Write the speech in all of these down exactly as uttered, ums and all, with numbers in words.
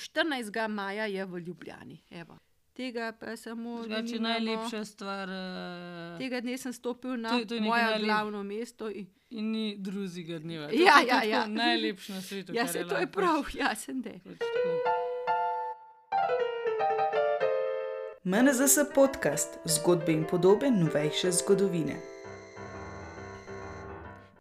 štirinajstega maja je v Ljubljani. Evo. Tega pa samo Drugače nimamo. najlepša stvar. Uh, Tega dne sem stopil na to, to moje najlep... glavno mesto. In, in ni drugega dneva. Ja, to, to, ja, to ja. Najlepše na svetu. Ja, se to je prav, ja, sem de. M N Z S podcast, zgodbe in podobe novejše zgodovine.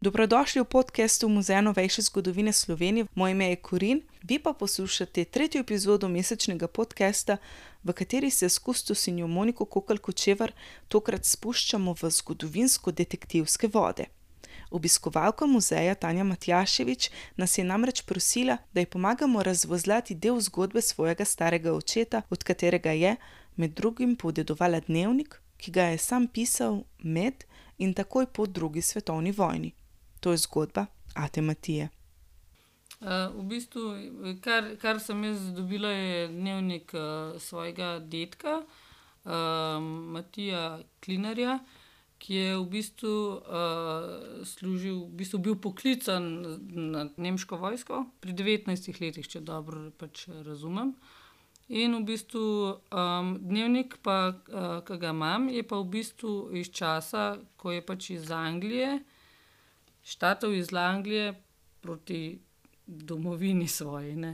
Dobrodošli v podcastu Muzeja novejše zgodovine Slovenije. Moje ime je Korin, vi pa poslušate tretjo epizodo mesečnega podcasta, v kateri se s kustosinjo Moniko Kokalj-Kočevar tokrat spuščamo v zgodovinsko-detektivske vode. Obiskovalka muzeja Tanja Matjašević nas je namreč prosila, da ji pomagamo razvozlati del zgodbe svojega starega očeta, od katerega je med drugim podedovala dnevnik, ki ga je sam pisal med in takoj po drugi svetovni vojni. To je zgodba ate Matije. Uh, v bistvu, kar, kar sem jaz dobila, je dnevnik uh, svojega dedka, uh, Matija Klinarja, ki je v bistvu uh, služil, v bistvu bil poklican na nemško vojsko pri devetnajstih letih, če dobro pač razumem. In v bistvu um, dnevnik, pa, uh, ki ga imam, je pa v bistvu iz časa, ko je pač iz Anglije, štartal iz Anglije proti domovini svoji. Ne?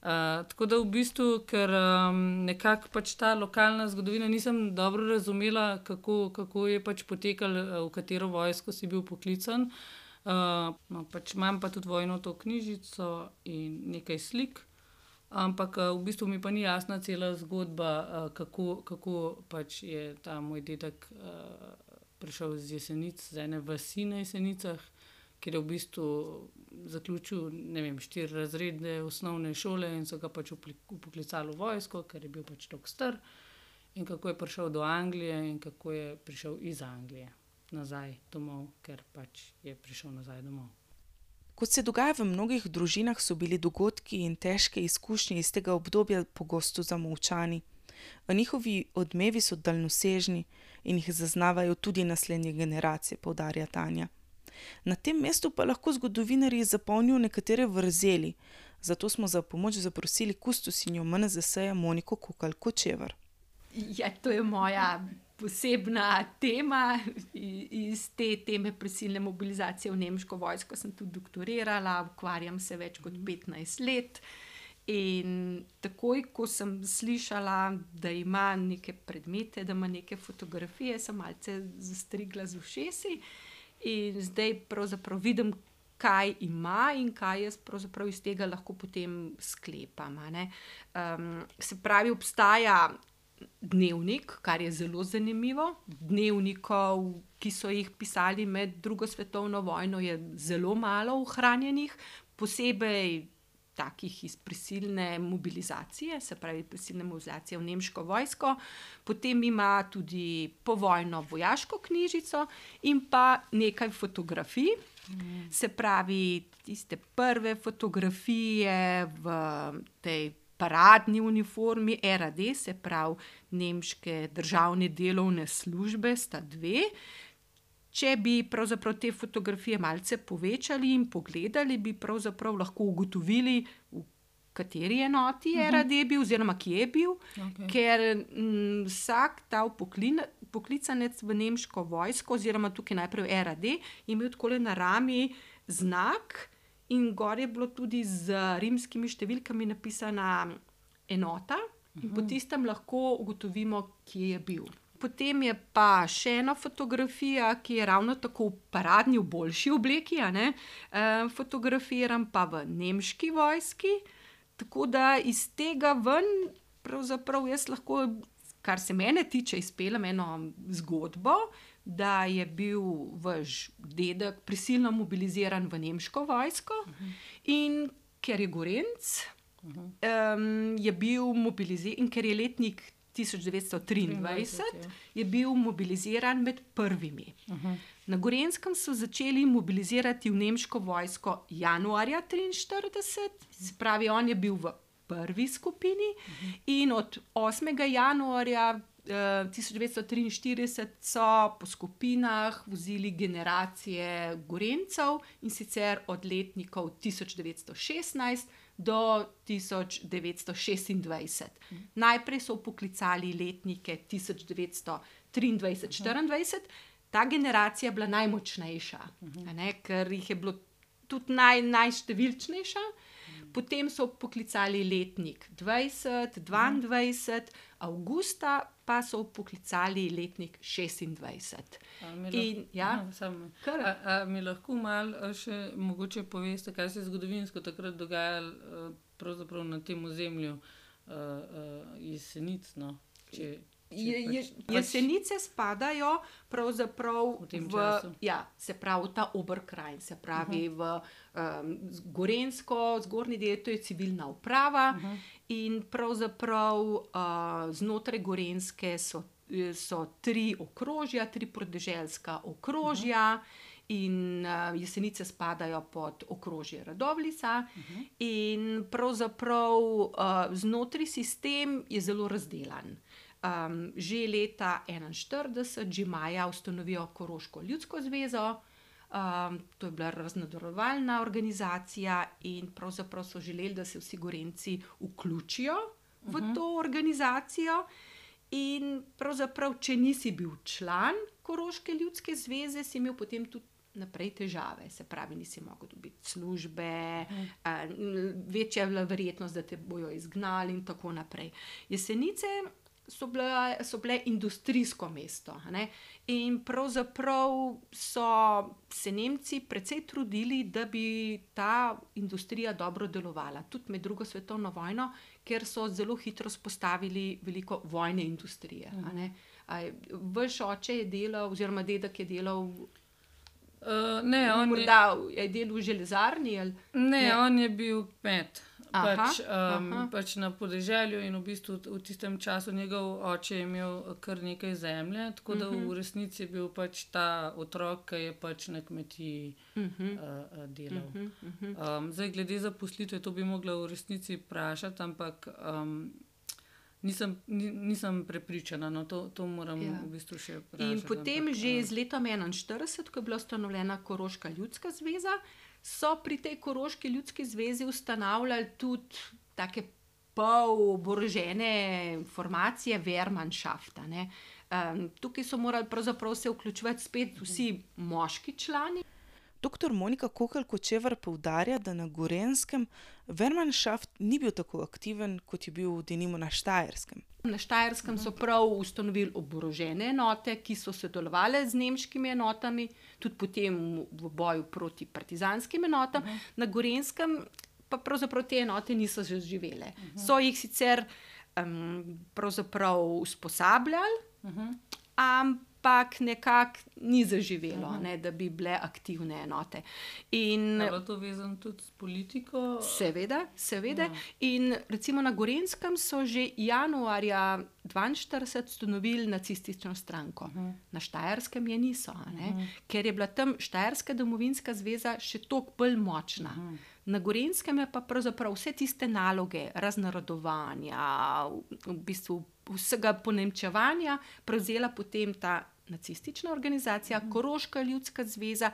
Uh, tako da v bistvu, ker um, nekako pač ta lokalna zgodovina nisem dobro razumela, kako, kako je pač potekal, v katero vojsko si bil poklican. Uh, no, pač imam pa tudi vojno to knjižico in nekaj slik, ampak uh, v bistvu mi pa ni jasna cela zgodba, uh, kako, kako pač je ta moj dedek uh, prišel z Jesenic, z ene vasi na Jesenicah, kjer je v bistvu zaključil, ne vem, štiri razredne osnovne šole in so ga pač upoklicali v vojsko, ker je bil pač toliko star, in kako je prišel do Anglije in kako je prišel iz Anglije nazaj domov, ker pač je prišel nazaj domov. Kot se dogaja v mnogih družinah, so bili dogodki in težke izkušnje iz tega obdobja pogosto zamolčani. A njihovi odmevi so daljnosežni in jih zaznavajo tudi naslednje generacije, poudarja Tanja. Na tem mestu pa lahko zgodovinarji zapolnijo nekatere vrzeli, zato smo za pomoč zaprosili kustosinjo M N Z S-ja Moniko Kokalj-Kočevar. Ja, to je moja posebna tema. Iz te teme prisilne mobilizacije v nemško vojsko sem tudi doktorirala, ukvarjam se več kot petnajst let. In takoj, ko sem slišala, da ima neke predmete, da ima neke fotografije, sem malce zastrigla z ušesi. In zdaj pravzaprav vidim, kaj ima in kaj jaz pravzaprav iz tega lahko potem sklepam. Um, se pravi, obstaja dnevnik, kar je zelo zanimivo. Dnevnikov, ki so jih pisali med drugo svetovno vojno, je zelo malo ohranjenih, posebej takih iz prisilne mobilizacije, se pravi prisilne mobilizacije v nemško vojsko. Potem ima tudi povojno vojaško knjižico in pa nekaj fotografij. Mm. Se pravi, tiste prve fotografije v tej paradni uniformi R A D, se pravi nemške državne delovne službe, sta dve. Če bi pravzaprav te fotografije malce povečali in pogledali, bi pravzaprav lahko ugotovili, v kateri enoti je R A D bil oziroma kje je bil, okay. Ker m, vsak ta poklin, poklicanec v nemško vojsko oziroma tukaj najprej R A D je imel takole na rami znak in gor je bilo tudi z rimskimi številkami napisana enota in uh-huh. po tistem lahko ugotovimo, kje je bil. Potem je pa še ena fotografija, ki je ravno tako v paradni, v boljši obleki, a ne? E, fotografiram pa v nemški vojski, tako da iz tega ven, pravzaprav jaz lahko, kar se mene tiče, izpeljem eno zgodbo, da je bil vaš dedek prisilno mobiliziran v nemško vojsko uh-huh. in ker je Gorenc, uh-huh. um, je bil mobiliziran in ker je letnik tisoč devetsto triindvajset je bil mobiliziran med prvimi. Uh-huh. Na Gorenjskem so začeli mobilizirati v nemško vojsko januarja triinštirideset, se pravi, on je bil v prvi skupini uh-huh. in od osmega januarja uh, tisoč devetsto triinštirideset so po skupinah vozili generacije Gorenjcev in sicer od letnikov tisoč devetsto šestnajst do tisoč devetsto šestindvajset. Najprej so vpoklicali letnike tisoč devetsto triindvajset štiriindvajset, ta generacija je bila najmočnejša, a ne, ker jih je bilo tudi naj, najštevilčnejša. Potem so poklicali letnik dvajset, dvaindvajset, avgusta pa so poklicali letnik šestindvajset. In, ja, kar... a, a mi lahko malo še mogoče poveste, kaj se je zgodovinsko takrat dogajalo pravzaprav na tem ozemlju uh, uh, Jesenic, no? Če, Je, je, Jesenice spadajo pravzaprav v, v ja, se pravi ta Oberkrajin, se pravi uh-huh. v um, Gorenjsko, zgornji del, to je civilna uprava uh-huh. in pravzaprav uh, znotraj Gorenjske so, so tri okrožja, tri podeželska okrožja uh-huh. in uh, Jesenice spadajo pod okrožje Radovljica uh-huh. in pravzaprav uh, znotraj sistem je zelo razdelan. Um, že leta enainštirideset, že maja ustanovijo Koroško ljudsko zvezo, um, to je bila raznodorovalna organizacija in pravzaprav so želeli, da se vsi Gorenjci vključijo v uh-huh. to organizacijo in pravzaprav, če nisi bil član Koroške ljudske zveze, si imel potem tudi naprej težave, se pravi, nisi mogel dobiti službe, uh-huh. uh, večja je bila verjetnost, da te bojo izgnali in tako naprej. Jesenice So bile, so bile industrijsko mesto, ne? In pravzaprav so se Nemci precej trudili, da bi ta industrija dobro delovala, tudi med drugo svetovno vojno, ker so zelo hitro spostavili veliko vojne industrije. Uh-huh. A ne? A, vaš oče je delal, oziroma dedek je delal, uh, ne, on morda je, je delal v železarni? Ali? Ne, ne, on je bil kmet. Aha, pač, um, aha. pač na podeželju in v bistvu v tistem času njegov oče je imel kar nekaj zemlje, tako da uh-huh. v resnici je bil pač ta otrok, ki je pač na kmetiji uh-huh. uh, delal. Uh-huh. Uh-huh. Um, zdaj, glede zaposlitve, to bi mogla v resnici vprašati, ampak um, nisem, nisem prepričana, no to, to moram ja. v bistvu še vprašati. In potem ampak, že z letom enainštirideset, ko je bila ustanovljena Koroška ljudska zveza, so pri tej Koroški ljudski zvezi ustanavljali tudi take pol oborožene formacije Wehrmannschafta, ne. Um, tukaj so morali pravzaprav se vključevati spet vsi moški člani. Doktor Monika Kokelj-Kočevar poudarja, da na Gorenjskem Wehrmannschaft ni bil tako aktiven, kot je bil denimo na Štajerskem. Na Štajerskem so prav ustanovili oborožene enote, ki so sodelovali z nemškimi enotami, tudi potem v boju proti partizanskim enotam. Uh-huh. Na Gorenjskem pa pravzaprav te enote niso zaživele. Uh-huh. So jih sicer um, pravzaprav usposabljali, uh-huh. ampak nekako ni zaživelo, uh-huh. ne, da bi bile aktivne enote. In je bilo to vezano tudi s politiko? Seveda, seveda. Ja. In recimo na Gorenjskem so že januarja dvainštirideset ustanovili nacistično stranko. Uh-huh. Na Štajerskem je niso, ne, uh-huh. ker je bila tam Štajerska domovinska zveza še toliko bolj močna. Uh-huh. Na Gorenjskem je pa pravzaprav vse tiste naloge raznarodovanja, v, v bistvu vsega ponemčevanja prevzela potem ta nacistična organizacija, mm. Koroška ljudska zveza,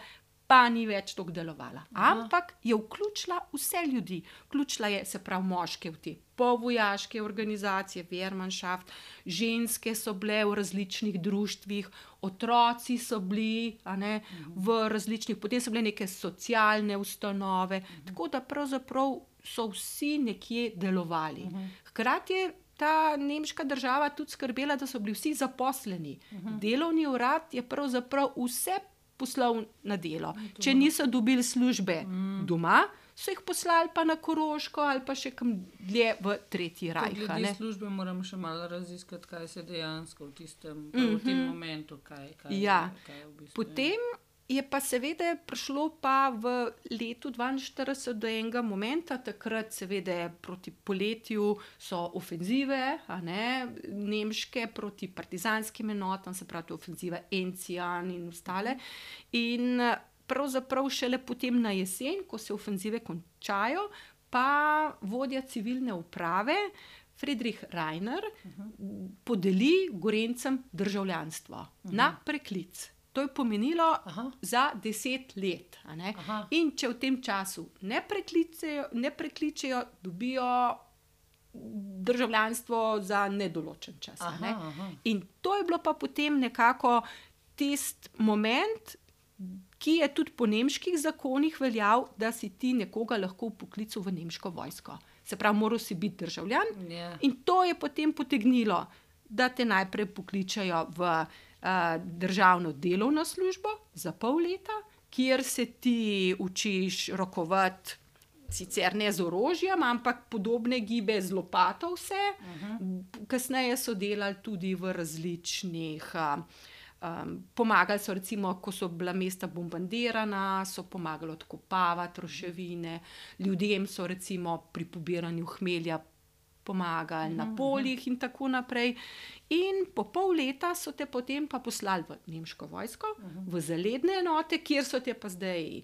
pa ni več tako delovala. Aha. Ampak je vključila vse ljudi. Vključila je, se pravi, moške v te povojaške organizacije, Wehrmannschaft, ženske so bile v različnih društvih, otroci so bili, a ne, mm. v različnih, potem so bile neke socialne ustanove, mm. tako da pravzaprav so vsi nekje delovali. Mm. Hkrati je ta nemška država tudi skrbela, da so bili vsi zaposleni. Uh-huh. Delovni urad je pravzaprav vse poslal na delo. Če niso dobili službe mm. doma, so jih poslali pa na Koroško ali pa še kam dlje v Tretji rajh. Glede službe moram še malo raziskati, kaj se dejansko v tistem mm-hmm. v tem momentu, kaj, kaj, ja. kaj v bistvu. Potem je pa seveda prišlo pa v letu dvainštirideset do enega momenta, takrat seveda proti poletju so ofenzive, a ne, nemške proti partizanskim enotam, se pravi ofenziva Enzian in ostale. In pravzaprav šele potem na jesen, ko se ofenzive končajo, pa vodja civilne uprave Friedrich Rainer uh-huh. podeli Gorenjcem državljanstvo uh-huh. na preklic. To je pomenilo Aha. za deset let. A ne? In če v tem času ne prekličejo, ne prekličejo, dobijo državljanstvo za nedoločen čas. A ne? Aha, aha. In to je bilo pa potem nekako tisti moment, ki je tudi po nemških zakonih veljal, da si ti nekoga lahko vpoklical v nemško vojsko. Se pravi, moral si biti državljan. Ja. In to je potem potegnilo, da te najprej pokličajo v uh, državno delovno službo za pol leta, kjer se ti učiš rokovati, sicer ne z orožjem, ampak podobne gibe z lopato vse. Uh-huh. Kasneje so delali tudi v različnih... Uh, Um, pomagali so, recimo, ko so bila mesta bombardirana, so pomagali odkopavati ruševine, ljudem so recimo pri pobiranju hmelja pomagali na poljih in tako naprej. In po pol leta so te potem pa poslali v nemško vojsko, v zaledne enote, kjer so te pa zdaj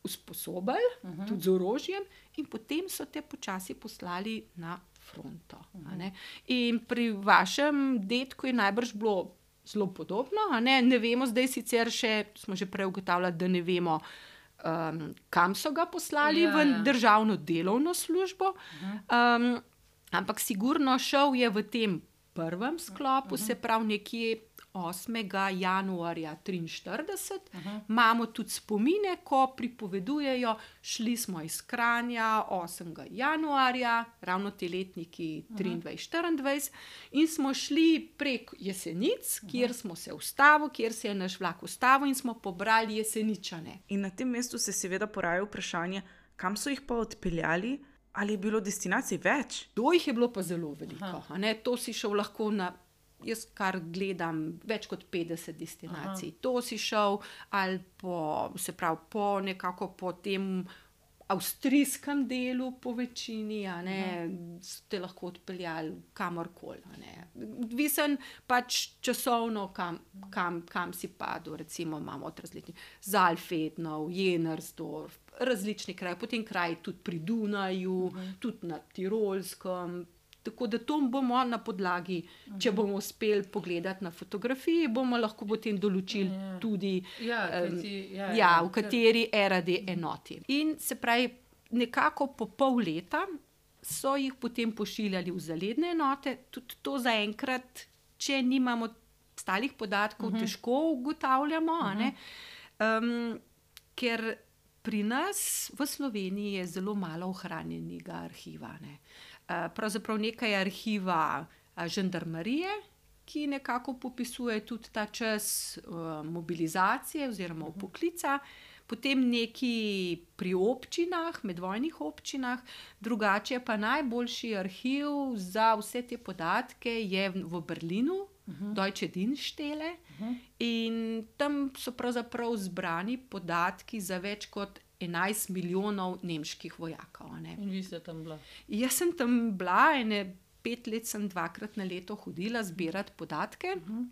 usposobili, tudi z orožjem, in potem so te počasi poslali na fronto. A ne? In pri vašem dedku je najbrž bilo zelo podobno, a ne? Ne vemo zdaj sicer še, smo že prej ugotavljali, da ne vemo, um, kam so ga poslali Ja, v ja. državno delovno službo, um, ampak sigurno šel je v tem prvem sklopu, se pravi nekje osmega januarja triinštirideset. Imamo tudi spomine, ko pripovedujejo, šli smo iz Kranja osmega januarja, ravno te letniki triindvajset štiriindvajset, in smo šli prek Jesenic, kjer smo se ustavili, kjer se je naš vlak ustavil in smo pobrali Jeseničane. In na tem mestu se seveda poraja vprašanje, kam so jih pa odpeljali, ali je bilo destinacij več? To jih je bilo pa zelo veliko. A ne? To si šel lahko na, jaz kar gledam, več kot petdeset destinacij. Aha. To si šel ali po, se pravi, po nekako po tem avstrijskem delu po večini, a ne, ste lahko odpeljali kamorkoli, a ne. Odvisen pač časovno, kam, kam, kam si padel, recimo imamo od različnih Saalfetnov, Jennersdorf, različni kraji, potem kraji tudi pri Dunaju, uh-huh. tudi na Tirolskem. Tako da to bomo na podlagi, uh-huh. če bomo uspeli pogledati na fotografiji, bomo lahko potem določili uh-huh. tudi, Ja, em, kajti, ja, ja, ja, v kateri R A D enoti. In se pravi, nekako po pol leta so jih potem pošiljali v zaledne enote. Tudi to zaenkrat, če nimamo stalih podatkov, uh-huh. težko ugotavljamo, uh-huh. a ne? Um, ker pri nas v Sloveniji je zelo malo ohranjenega arhiva, ne. Pravzaprav nekaj arhiva žandarmerije, ki nekako popisuje tudi ta čas uh, mobilizacije oziroma vpoklica, potem neki pri občinah, medvojnih občinah, drugače pa najboljši arhiv za vse te podatke je v Berlinu, uh-huh. Deutsche Dienststelle, uh-huh. in tam so pravzaprav zbrani podatki za več kot enajst milijonov nemških vojakov. Ne. In vi ste tam bila? Jaz sem tam bila, ene pet let sem dvakrat na leto hodila zbirati podatke, uh-huh.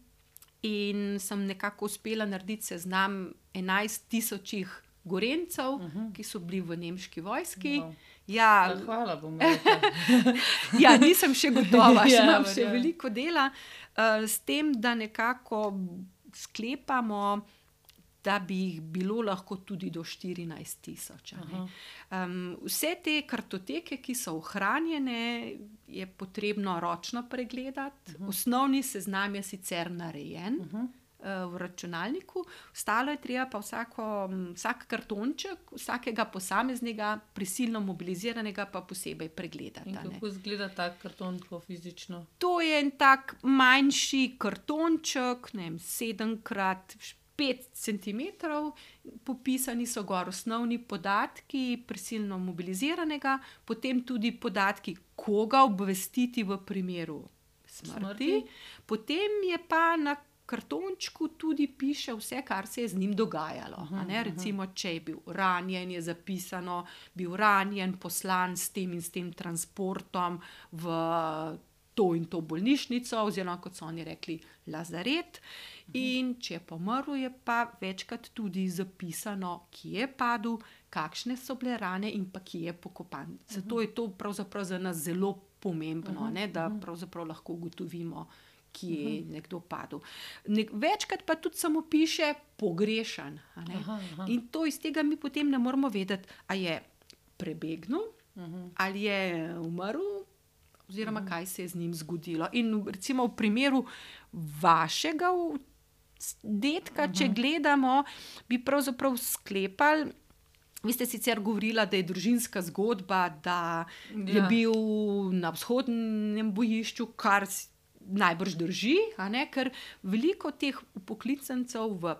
in sem nekako uspela narediti seznam enajst tisočih Gorencev, uh-huh. ki so bili v nemški vojski. Wow. Ja, Ja, hvala, bom rekla. ja, nisem še gotova, še Ja, imam še verjamem. veliko dela, uh, s tem, da nekako sklepamo, da bi jih bilo lahko tudi do štirinajst tisoč. Um, vse te kartoteke, ki so ohranjene, je potrebno ročno pregledati. Uh-huh. Osnovni seznam je sicer narejen uh-huh. uh, v računalniku, ostalo je treba pa vsako, vsak kartonček, vsakega posameznega prisilno mobiliziranega pa posebej pregledati. In a ne. kako izgleda tak karton tako fizično? To je en tak manjši kartonček, ne vem, sedem krat pet centimetrov, popisani so gor osnovni podatki prisilno mobiliziranega, potem tudi podatki, koga obvestiti v primeru smrti. Smrti. Potem je pa na kartončku tudi piše vse, kar se je z njim dogajalo. Aha, a ne? Recimo, če je bil ranjen, je zapisano, bil ranjen, poslan s tem in s tem transportom v to in to bolnišnico, oziroma kot so oni rekli, lazaret. In če je pomrl, je pa večkrat tudi zapisano, kje je padel, kakšne so bile rane in pa kje je pokopan. Zato je to pravzaprav za nas zelo pomembno, ne, da pravzaprav lahko ugotovimo, ki je nekdo padel. Nek, večkrat pa tudi samo piše pogrešan. A ne? Aha, aha. In to iz tega mi potem ne moramo vedeti, a je prebegnil, uh-huh. ali je umrl, oziroma uh-huh. kaj se je z njim zgodilo. In recimo v primeru vašega dedka, uh-huh. če gledamo, bi pravzaprav sklepali. Vi ste sicer govorila, da je družinska zgodba, da je Ja. bil na vzhodnem bojišču, kar s- najbrž drži, a ne? Ker veliko teh upoklicancev v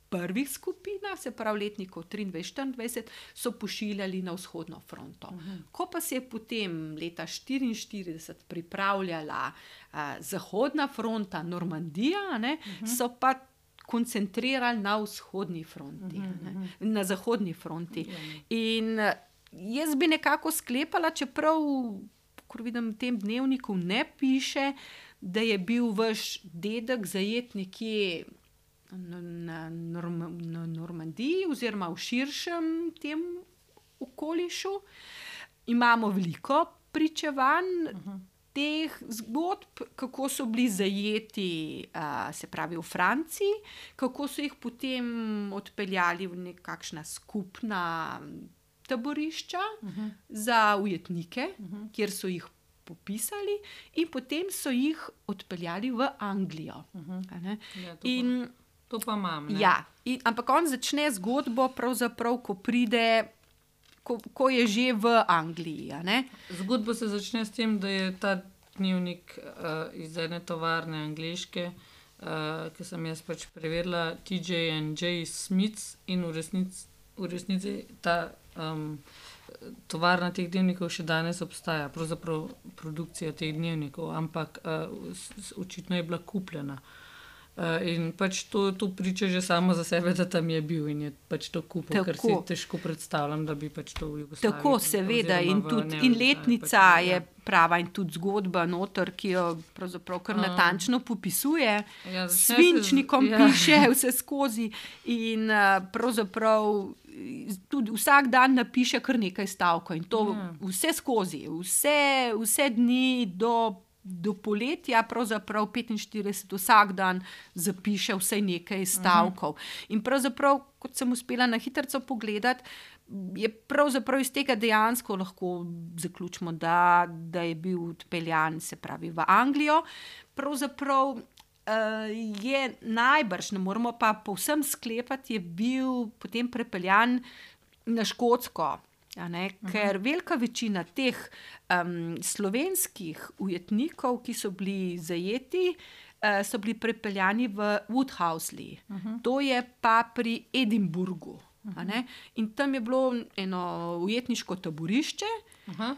prvih skupinah, se pravi letnikov triindvajset štiriindvajset, so pošiljali na vzhodno fronto. Uh-huh. Ko pa se je potem leta štiriinštirideset pripravljala a, zahodna fronta, Normandija, a ne, uh-huh. so pa koncentrirali na vzhodni fronti, uh-huh. ne, na zahodni fronti. Ja. In eh, jaz bi nekako sklepala, čeprav, kot vidim, v tem dnevniku ne piše, da je bil vaš dedek zajet nekje na, na, Norm, na Normandiji oziroma v širšem tem okolišu. Imamo veliko pričevanj uh-huh. teh zgodb, kako so bili zajeti, a, se pravi v Franciji, kako so jih potem odpeljali v nekakšna skupna taborišča uh-huh. za ujetnike, uh-huh. kjer so jih popisali, in potem so jih odpeljali v Anglijo. Uh-huh. A ne? Ja, to, In pa, to pa imam. Ne? ja, in, ampak on začne zgodbo, pravzaprav, ko pride, ko, ko je že v Angliji. A ne? Zgodba se začne s tem, da je ta dnevnik uh, iz ene tovarne angleške, uh, ki sem jaz pač preverila, T J and J Smiths, in v resnici, v resnici ta um, tovarna teh dnevnikov še danes obstaja, pravzaprav produkcija teh dnevnikov, ampak uh, s- s- očitno je bila kupljena. Uh, in pač to, to priča že samo za sebe, da tam je bil in je pač to kupil, ker si Tako. težko predstavljam, da bi pač to v Jugoslaviji. Tako, seveda, in, oziroma v tudi, in Neojugoslavi letnica pač, je ja. prava, in tudi zgodba noter, ki jo pravzaprav kar natančno popisuje. Ja, začne se z- Svinčnikom ja. piše vse skozi, in uh, pravzaprav eh, tudi vsak dan napiše kar nekaj stavkov, in to Ja. vse skozi, vse, vse dni do. Do poletja, pravzaprav petinštirideset, vsak dan zapiše vsaj nekaj stavkov. In pravzaprav, kot sem uspela na hitro pogledati, je pravzaprav iz tega dejansko lahko zaključimo, da, da je bil odpeljan, se pravi, v Anglijo. Pravzaprav uh, je najbrž, ne moremo pa povsem sklepati, je bil potem prepeljan na Škotsko. A ne, ker velika večina teh um, slovenskih ujetnikov, ki so bili zajeti, uh, so bili prepeljani v Woodhousley. Uh-huh. To je pa pri Edinburgu. A ne? In tam je bilo eno ujetniško taborišče Aha. uh,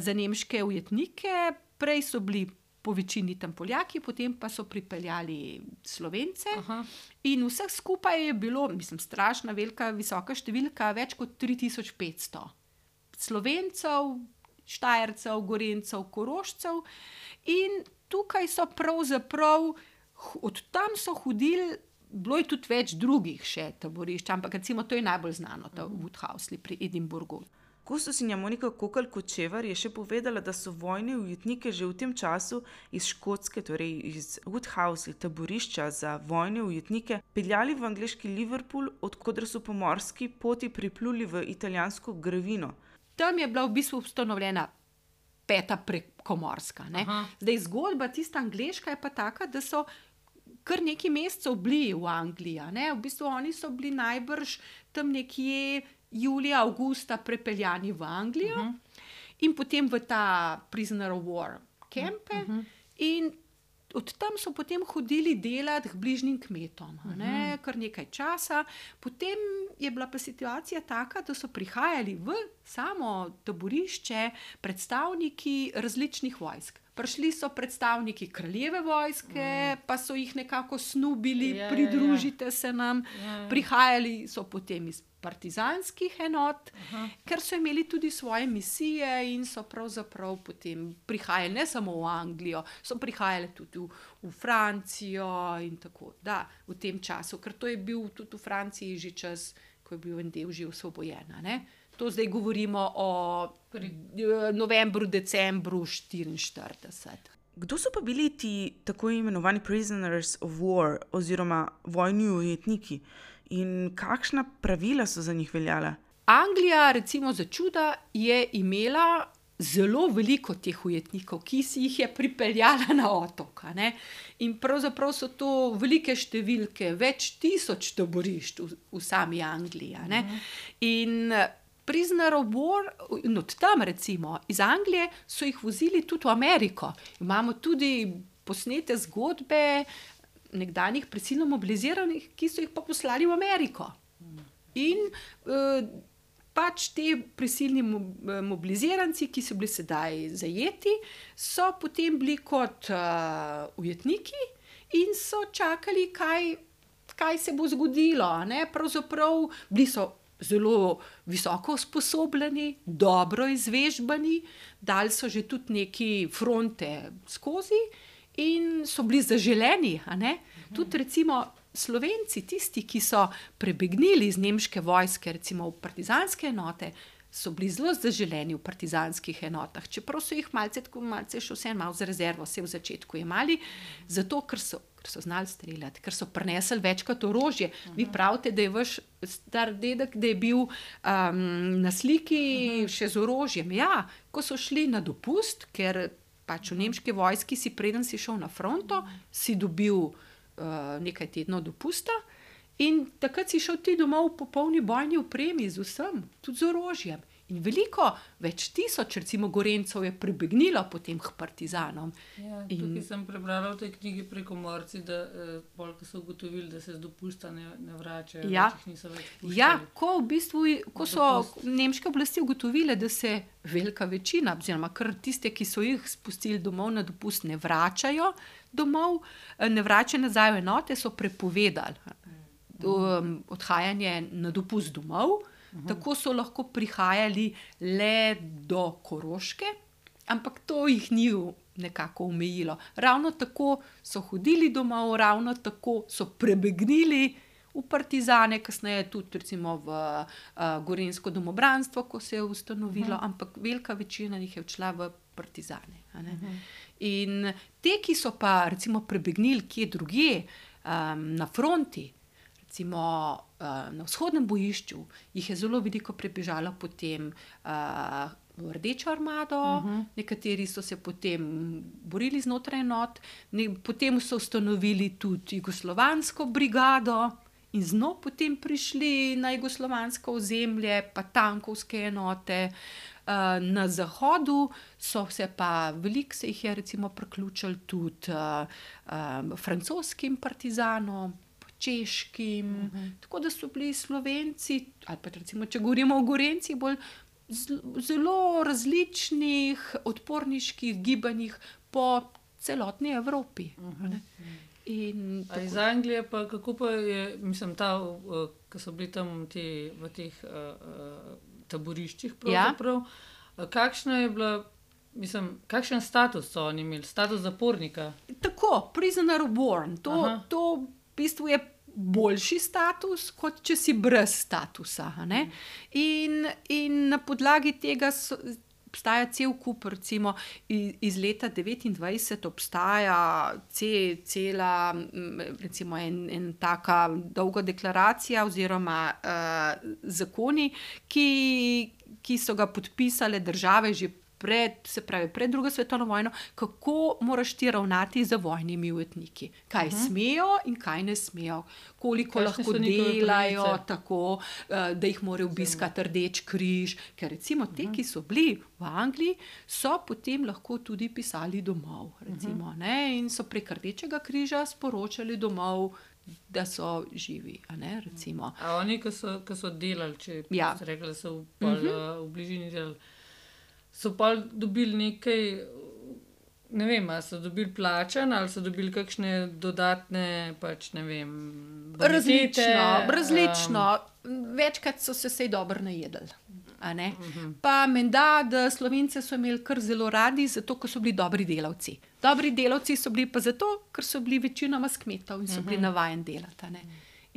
za nemške ujetnike, prej so bili po večini tam Poljaki, potem pa so pripeljali Slovence. Aha. In vseh skupaj je bilo, mislim, strašna, velika, visoka številka, več kot tri tisoč petsto Slovencev, Štajercev, Gorencev, Korošcev. In tukaj so pravzaprav, od tam so hodili, bilo je tudi več drugih še taborišč, ampak recimo to je najbolj znano, ta Woodhousley pri Edinburgu. Kustosinja Monika Kokalj Kočevar je še povedala, da so vojne ujetnike že v tem času iz Škotske, torej iz Woodhousley, taborišča za vojne ujetnike, peljali v angleški Liverpool, odkudar so po morski poti pripluli v italijansko Gravino. Tam je bila v bistvu ustanovljena peta prekomorska. Ne? Aha. Zdaj, zgodba tista angleška je pa taka, da so kar nekaj mesecev bili v Angliji. a Ne? V bistvu oni so bili najbrž tam nekje julija, avgusta prepeljani v Anglijo uh-huh. in potem v ta prisoner of war campe uh-huh. in od tam so potem hodili delati k bližnjim kmetom, a ne, kar nekaj časa. Potem je bila pa situacija taka, da so prihajali v samo taborišče predstavniki različnih vojsk. Prišli so predstavniki kraljeve vojske, mm. pa so jih nekako snubili, Ja, ja, pridružite se nam. Ja, ja. Prihajali so potem iz partizanskih enot, Aha. ker so imeli tudi svoje misije in so pravzaprav potem prihajali ne samo v Anglijo, so prihajali tudi v, v Francijo in tako, da, v tem času, ker to je bil tudi v Franciji že čas, ko je bil en del že osvobojen, a ne. To zdaj govorimo o Pri- novembru, decembru štiriinštirideset. Kdo so pa bili ti tako imenovani prisoners of war oziroma vojni ujetniki in kakšna pravila so za njih veljala? Anglija, recimo za čuda, je imela zelo veliko teh ujetnikov, ki si jih je pripeljala na otok. A ne? In pravzaprav so to velike številke, več tisoč taborišč v, v sami Angliji. A ne? In prisoner of war, in od tam recimo iz Anglije so jih vozili tudi v Ameriko. Imamo tudi posnete zgodbe nekdanjih prisilno mobiliziranih, ki so jih pa poslali v Ameriko. In eh, pač te prisilni mobiliziranci, ki so bili sedaj zajeti, so potem bili kot uh, ujetniki in so čakali, kaj, kaj se bo zgodilo. Ne? Pravzaprav bili so zelo visoko usposobljeni, dobro izvežbani, dali so že tudi neki fronte skozi in so bili zaželeni. A ne? Mhm. Tudi recimo Slovenci, tisti, ki so prebegnili iz nemške vojske, recimo v partizanske enote, so bili zelo zaželeni v partizanskih enotah, čeprav so jih malce, malce še vse malo za rezervo, vse v začetku imeli, zato ker so, ker so znali streljati, ker so prinesli večkrat orožje. Uh-huh. Vi pravite, da je vaš star dedek, da je bil um, na sliki uh-huh. še z orožjem. Ja, ko so šli na dopust, ker pač v nemški vojski si preden si šel na fronto, si dobil Uh, nekaj tednov dopusta in takrat si šel ti domov v popolni bojni opremi z vsem, tudi z orožjem. In veliko, več tisoč recimo Gorencev je prebegnilo potem k partizanom. Ja, tukaj in... sem prebrala v tej knjigi pri Komorci, da eh, polk so ugotovili, da se z dopusta ne, ne vračajo, ja. več jih niso več puščali. Ja, ko v bistvu, ko so nemške oblasti ugotovile, da se velika večina, oziroma kar tiste, ki so jih spustili domov na dopust, ne vračajo domov, ne vračajo nazaj v enote, so prepovedali um, odhajanje na dopust domov. Uhum. Tako so lahko prihajali le do Koroške, ampak to jih ni nekako omejilo. Ravno tako so hodili domov, ravno tako so prebegnili v partizane, kasneje tudi recimo v uh, Gorenjsko domobranstvo, ko se je ustanovilo, uhum. Ampak velika večina jih je odšla v partizane. A ne? Uhum. In te, ki so pa recimo prebegnili kje drugje, um, na fronti, recimo uh, na vzhodnem bojišču, jih je zelo veliko prebežalo potem uh, v Rdečo armado, uh-huh. Nekateri so se potem borili znotraj enot, ne, potem so ustanovili tudi jugoslovansko brigado in znov potem prišli na jugoslovansko ozemlje, pa tankovske enote. Uh, na zahodu so se pa, veliko se jih je recimo priključili tudi uh, uh, francoskim partizanom, češkim, uh-huh. Tako da so bili Slovenci, ali pa recimo, če govorimo o Gorencih, bolj zelo različnih odporniških gibanjih po celotni Evropi. Uh-huh. In tako... Iz Anglije pa kako pa je, mislim, ta, uh, ko so bili tam ti, v teh uh, uh, taboriščih pravzaprav, ja. Kakšna je bila, mislim, kakšen status so oni imeli, status zapornika? Tako, prisoner of war, to, to v bistvu je boljši status, kot če si brez statusa. Ne? In, in na podlagi tega so, obstaja cel kup, recimo iz, iz leta devetindvajset obstaja ce, cela, recimo en, en taka dolga deklaracija oziroma uh, zakoni, ki, ki so ga podpisale države že pred, se pravi, pred drugo svetovno vojno, kako moraš ti ravnati z vojnimi ujetniki. Kaj uh-huh. smejo in kaj ne smejo. Koliko kaj lahko delajo, tako, da jih morajo obiskati Rdeč križ. Ker recimo te, uh-huh. ki so bili v Angliji, so potem lahko tudi pisali domov. Recimo, uh-huh. ne? In so prek Rdečega križa sporočali domov, da so živi. A, ne? Recimo. A oni, ki so, ki so delali, če ja. ste rekli, da so v, pol, uh-huh. v bližini delali, so pa dobili nekaj, ne vem, ali so dobili plačan, ali so dobili kakšne dodatne, pač ne vem, bonitete. Različno, različno. Um, Večkrat so se sej dobro najedli. A ne? Uh-huh. Pa menda, da Slovence so imeli kar zelo radi, zato, ker so bili dobri delavci. Dobri delavci so bili pa zato, ker so bili večinoma s kmetov in so uh-huh. bili navajeni delati. A ne?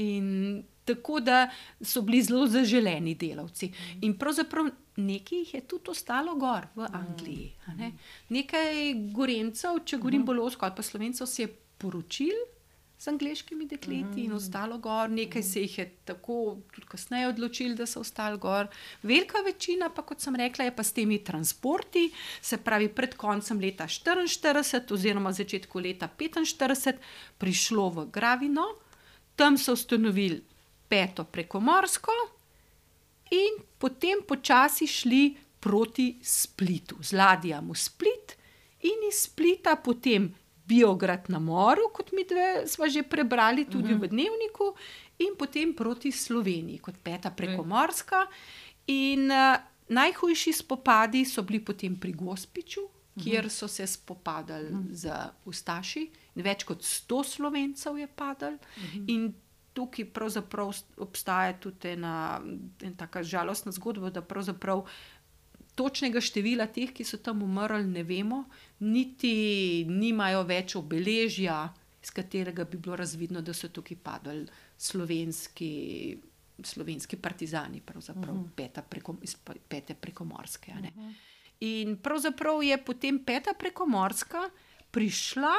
In tako, da so bili zelo zaželeni delavci. In pravzaprav nekaj jih je tudi ostalo gor v Angliji. A ne? Nekaj Gorencev, če govorim bolj ozko, ali pa Slovencev, se je poročil z angleškimi dekleti in ostalo gor. Nekaj se jih je tako tudi kasneje odločili, da so ostali gor. Velika večina pa, kot sem rekla, je pa s temi transporti, se pravi pred koncem leta štiriinštirideset oziroma začetku leta petinštirideset prišlo v Gravino. Tam so ustanovili peto prekomorsko in potem počasi šli proti Splitu, z ladjami v Split in iz Splita potem Biograd na Moru, kot mi dve sva že prebrali tudi uh-huh. v Dnevniku, in potem proti Sloveniji, kot peta prekomorska. In uh, najhujši spopadi so bili potem pri Gospiču, uh-huh. kjer so se spopadali uh-huh. z Ustaši. Več kot sto Slovencev je padalo. Uh-huh. In tukaj pravzaprav obstaja tudi ena, ena taka žalostna zgodba, da pravzaprav točnega števila teh, ki so tam umrli, ne vemo, niti nimajo več obeležja, iz katerega bi bilo razvidno, da so tukaj padali slovenski, slovenski partizani, pravzaprav uh-huh. peta preko, iz pete prekomorske. A ne? Uh-huh. In pravzaprav je potem peta prekomorska prišla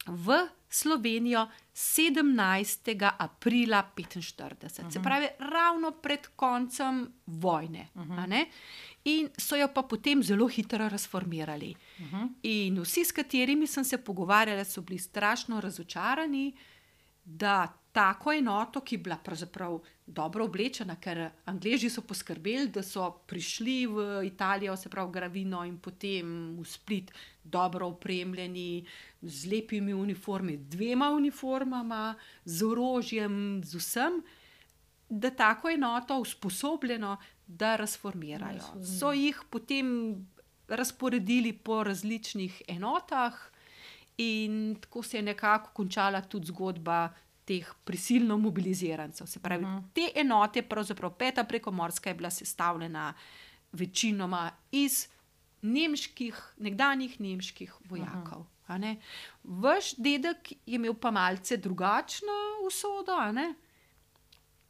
v Slovenijo sedemnajstega aprila petinštirideset. Uh-huh. Se pravi, ravno pred koncem vojne. Uh-huh. A ne? In so jo pa potem zelo hitro razformirali. Uh-huh. In vsi, s katerimi sem se pogovarjala, so bili strašno razočarani, da tako enoto, ki je bila pravzaprav dobro oblečena, ker Angleži so poskrbeli, da so prišli v Italijo, se pravi Gravino in potem v Split dobro opremljeni, z lepimi uniformi, dvema uniformama, z orožjem, z vsem, da tako enoto usposobljeno, da razformirajo. So jih potem razporedili po različnih enotah in tako se je nekako končala tudi zgodba teh prisilno mobilizirancev. Se pravi, uh-huh. te enote, pravzaprav peta prekomorska je bila sestavljena večinoma iz nemških, nekdanjih nemških vojakov. Uh-huh. A ne? Vaš dedek je imel pa malce drugačno usodo, a ne?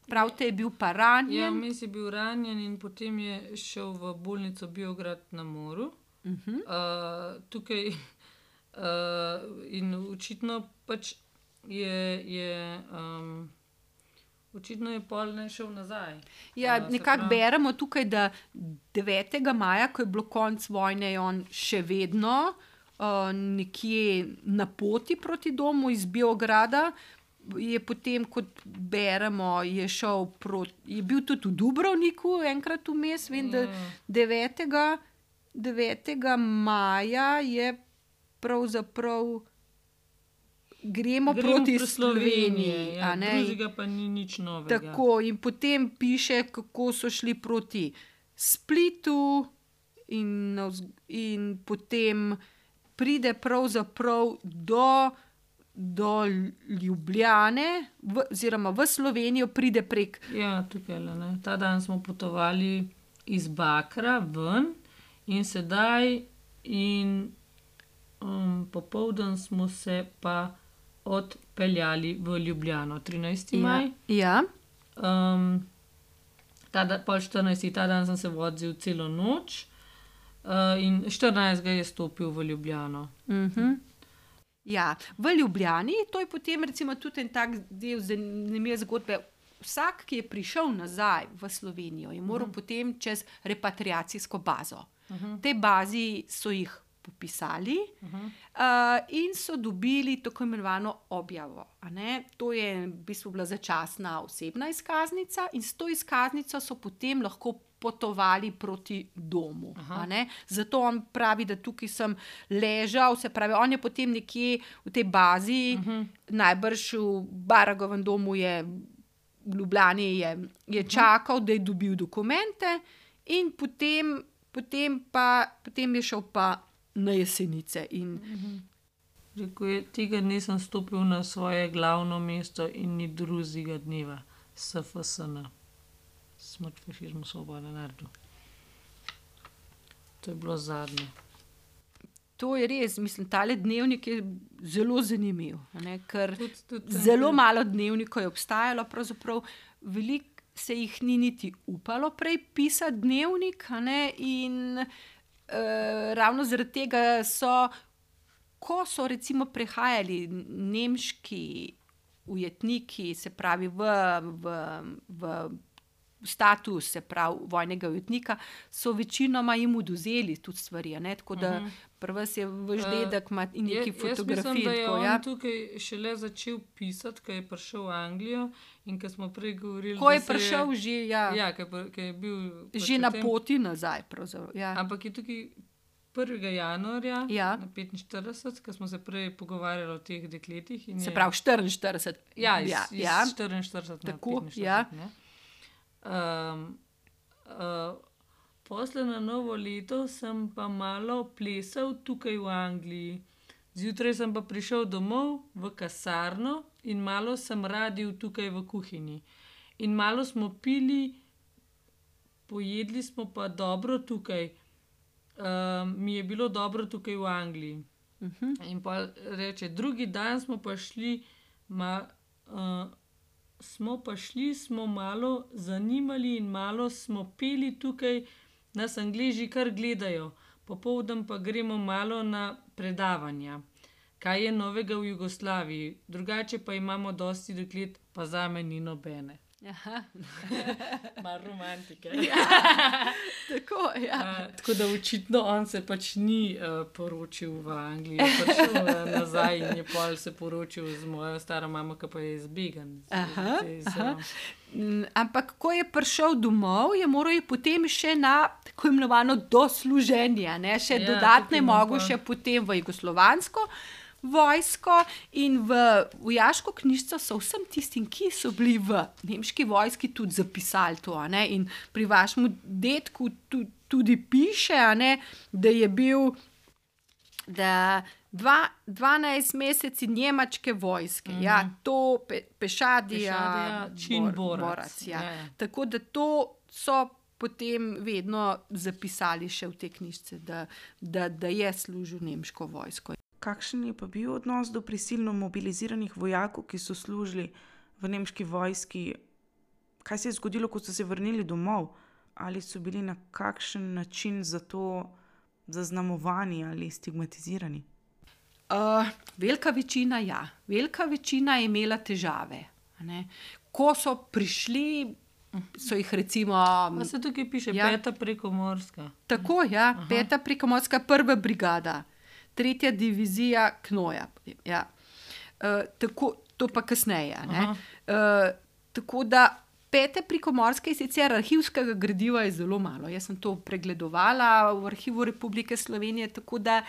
Pravite, je bil pa ranjen. Ja, mis je bil ranjen in potem je šel v bolnico Biograd na Moru. Uh-huh. Uh, tukaj uh, in očitno pač je, je um, očitno je pol ne šel nazaj. Ja, uh, nekako beremo tukaj, da devetega maja, ko je bilo konc vojne, je on še vedno uh, nekje na poti proti domu iz Biograda. Je potem, kot beremo, je šel proti, je bil tudi v Dubrovniku enkrat vmes, vem, da devetega devetega maja je pravzaprav gremo, gremo proti Sloveniji. Ja, drugega pa ni nič novega. Tako, in potem piše, kako so šli proti Splitu in, in potem pride pravzaprav do do Ljubljane, v, oziroma v Slovenijo pride prek. Ja, tukaj, ne. Ta dan smo potovali iz Bakra ven in sedaj in um, popoldan smo se pa odpeljali v Ljubljano. trinajsti maj. Ja. Um, ta da, pol štirinajsti ta dan sem se vozil celo noč uh, in štirinajstega je stopil v Ljubljano. Mhm. Ja, v Ljubljani, to je potem recimo tudi en tak del zanimive zgodbe. Vsak, ki je prišel nazaj v Slovenijo, je moral uh-huh. potem čez repatriacijsko bazo. Uh-huh. Te bazi so jih popisali uh-huh. uh, in so dobili tako imenovano objavo. A ne? To je v bistvu bila začasna osebna izkaznica in s to izkaznico so potem lahko potovali proti domu. A ne? Zato on pravi, da tukaj sem ležal, se pravi, on je potem nekje v tej bazi, uh-huh. najbrž v Baragovem domu je, v Ljubljani je, je uh-huh. čakal, da je dobil dokumente in potem, potem, pa, potem je šel pa na Jesenice. In uh-huh. Rekel je, tega nisem stopil na svoje glavno mesto in ni drugega dneva, S F S N. Smrt fašizmu, svoboda narodu. To je bilo zadnje. To je res, mislim, tale dnevnik je zelo zanimiv, ne? Ker tud, tud, zelo malo dnevnikov je obstajalo, pravzaprav veliko se jih ni niti upalo prej pisati dnevnik, a ne, in uh, ravno zaradi tega so, ko so recimo prehajali nemški ujetniki, se pravi v, v, v status, se pravi vojnega ujetnika, so večinoma jim odvzeli tudi stvari, ne, tako da uh-huh. prva se je vaš dedek ima in neki fotografij. Jaz mislim, da je tako, on ja. tukaj šele začel pisati, ko je prišel v Anglijo in ko smo prej govorili, ko je da se prišel je, že, ja, ja, ko je, ko je bil že na poti nazaj, pravzaprav, ja. Ampak je tukaj prvega januarja ja. na petinštirideset, ko smo se prej pogovarjali o teh dekletih. In se je, pravi štiriinštirideset. Ja, iz, ja, iz ja. štiriinštirideset na tako, petinštirideset. ja. Ne? Um, uh, posle na novo leto sem pa malo plesal tukaj v Angliji. Zjutraj sem pa prišel domov v kasarno in malo sem radil tukaj v kuhinji. In malo smo pili, pojedli smo pa dobro tukaj. Um, mi je bilo dobro tukaj v Angliji. Uh-huh. In pa reče, drugi dan smo pa šli, ma, uh, smo pa šli, smo malo zanimali in malo smo peli tukaj, nas Angleži kar gledajo. Popoldan pa gremo malo na predavanja, kaj je novega v Jugoslaviji. Drugače pa imamo dosti deklet, pa zame ni nobene. Aha. Malo romantike. Ja, tako, ja. Uh, tako da očitno on se pač ni uh, poročil v Angliji, je prišel uh, nazaj in je pol se poročil z mojo staro mamo, ki pa je zbegan. Aha, aha. Ampak ko je prišel domov, je moral je potem še na tako imenovano dosluženje, ne? Še Ja, dodatne tukaj mogo pa- še potem v jugoslovansko vojsko in v vojaško knjižico so vsem tistim, ki so bili v nemški vojski, tudi zapisali to, a ne? In pri vašemu dedku tudi, tudi piše, a ne, da je bil da dva, dvanajst meseci njemačke vojske, mm-hmm. ja, to pe, pešadija, Pešadija, čin bor, borac, borac, ja. ja, ja. Tako da to so potem vedno zapisali še v te knjižice, da, da, da je služil nemško vojsko. Kakšen je pa bil odnos do prisilno mobiliziranih vojakov, ki so služili v nemški vojski? Kaj se je zgodilo, ko so se vrnili domov? Ali so bili na kakšen način za to zaznamovani ali stigmatizirani? Uh, velika večina, ja. Velika večina je imela težave. A ne? Ko so prišli, so jih recimo... Pa se tukaj piše Ja. peta prekomorska. Tako, ja, Aha. peta prekomorska prva brigada, tretja divizija Knoja. Ja. Uh, tako, to pa kasneje. Ne? Uh, tako da pete prekomorske je sicer arhivskega gradiva je zelo malo. Jaz sem to pregledovala v Arhivu Republike Slovenije, tako da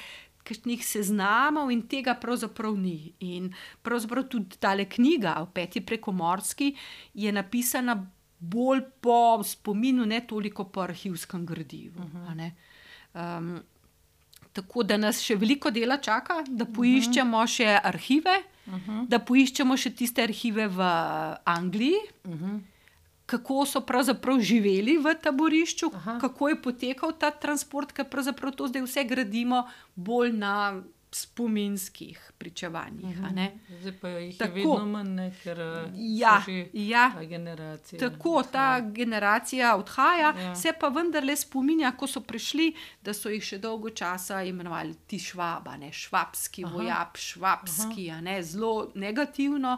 kakšnih seznamov in tega pravzaprav ni. In pravzaprav tudi tale knjiga o peti prekomorski je napisana bolj po spominu, ne toliko po arhivskem gradivu. Uh-huh. A ne? Um, tako da nas še veliko dela čaka, da poiščemo uh-huh. še arhive, uh-huh. da poiščemo še tiste arhive v Angliji, uh-huh. kako so pravzaprav živeli v taborišču, Aha. kako je potekal ta transport, ker pravzaprav to zdaj vse gradimo bolj na spominskih pričevanjih. a ne. Zdaj pa jih Tako. je vedno manj, ne, ker uh, Ja, so že ja. ta generacija. Tako, ta generacija odhaja, Ja. se pa vendarle spominja, ko so prišli, da so jih še dolgo časa imenovali ti švaba, ne, švabski Aha. vojak, švabski, a ne, zelo negativno.